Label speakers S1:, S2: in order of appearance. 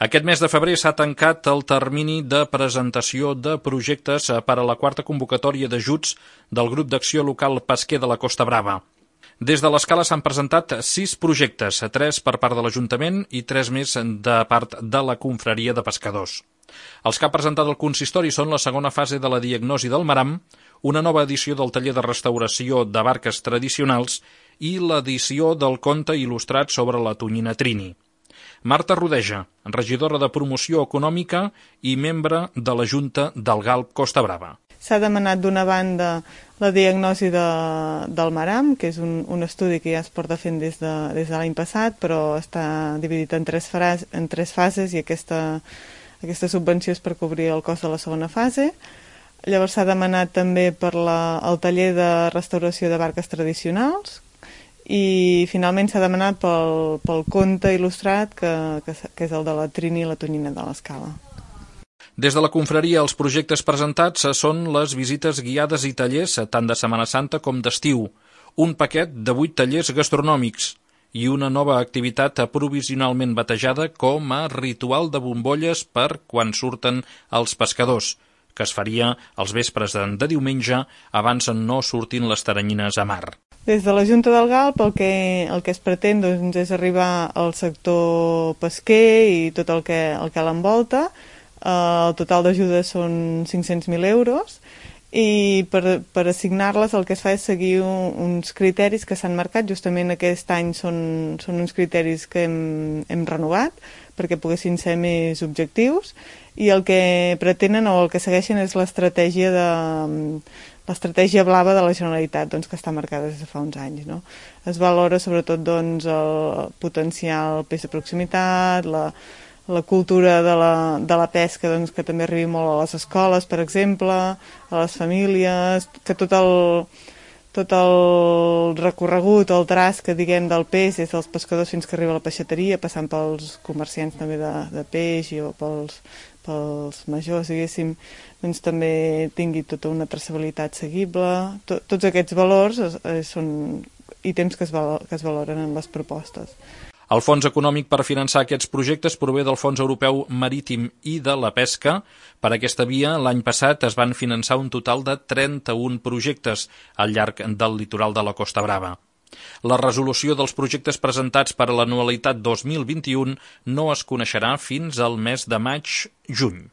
S1: Aquest mes de febrer s'ha tancat el termini de presentació de projectes per a la quarta convocatòria d'ajuts del Grup d'Acció Local Pesquer de la Costa Brava. Des de l'Escala s'han presentat 6 projectes, 3 per part de l'Ajuntament i 3 més de part de la Confraria de Pescadors. Els que ha presentat el consistori són la segona fase de la diagnosi del maram, una nova edició del taller de restauració de barques tradicionals i l'edició del conte il·lustrat sobre la tonyina Trini. Marta Rodeja, regidora de Promoció Econòmica i membre de la Junta del Galp Costa Brava.
S2: S'ha demanat d'una banda la diagnosi del maram, que és un estudi que ja es porta fent des de l'any passat, però està dividit en tres fases i aquesta subvenció és per cobrir el cost de la segona fase. Llavors s'ha demanat també per el taller de restauració de barques tradicionals i finalment s'ha demanat pel conte il·lustrat, que és el de la Trini i la tonyina de l'Escala.
S1: Des de la confraria, els projectes presentats són les visites guiades i tallers tant de Setmana Santa com d'estiu, un paquet de 8 tallers gastronòmics i una nova activitat provisionalment batejada com a ritual de bombolles per quan surten els pescadors, que es faria els vespres de diumenge abans no sortin les taranyines a mar.
S2: Des de la Junta del Galp el que es pretén és arribar al sector pesquer i tot el que l'envolta. El total d'ajudes són 500.000 euros i per assignar-les el que es fa és seguir uns criteris que s'han marcat. Justament aquest any són uns criteris que hem renovat perquè poguessin ser més objectius i el que pretenen o el que segueixen és l'estratègia blava de la Generalitat, que està marcada des de fa uns anys. Es valora sobretot el potencial el peix de proximitat, la cultura de la pesca que també arribi molt a les escoles, per exemple, a les famílies, que tot el recorregut, el traç que diguem del peix des dels pescadors fins que arriba a la peixateria, passant pels comerciants també de peix o pels majors, diguéssim, també tingui tota una traçabilitat seguible. Tots aquests valors són ítems que es valoren en les propostes.
S1: El fons econòmic per finançar aquests projectes prové del Fons Europeu Marítim i de la Pesca. Per aquesta via, l'any passat es van finançar un total de 31 projectes al llarg del litoral de la Costa Brava. La resolució dels projectes presentats per a l'anualitat 2021 no es coneixerà fins al mes de maig-juny.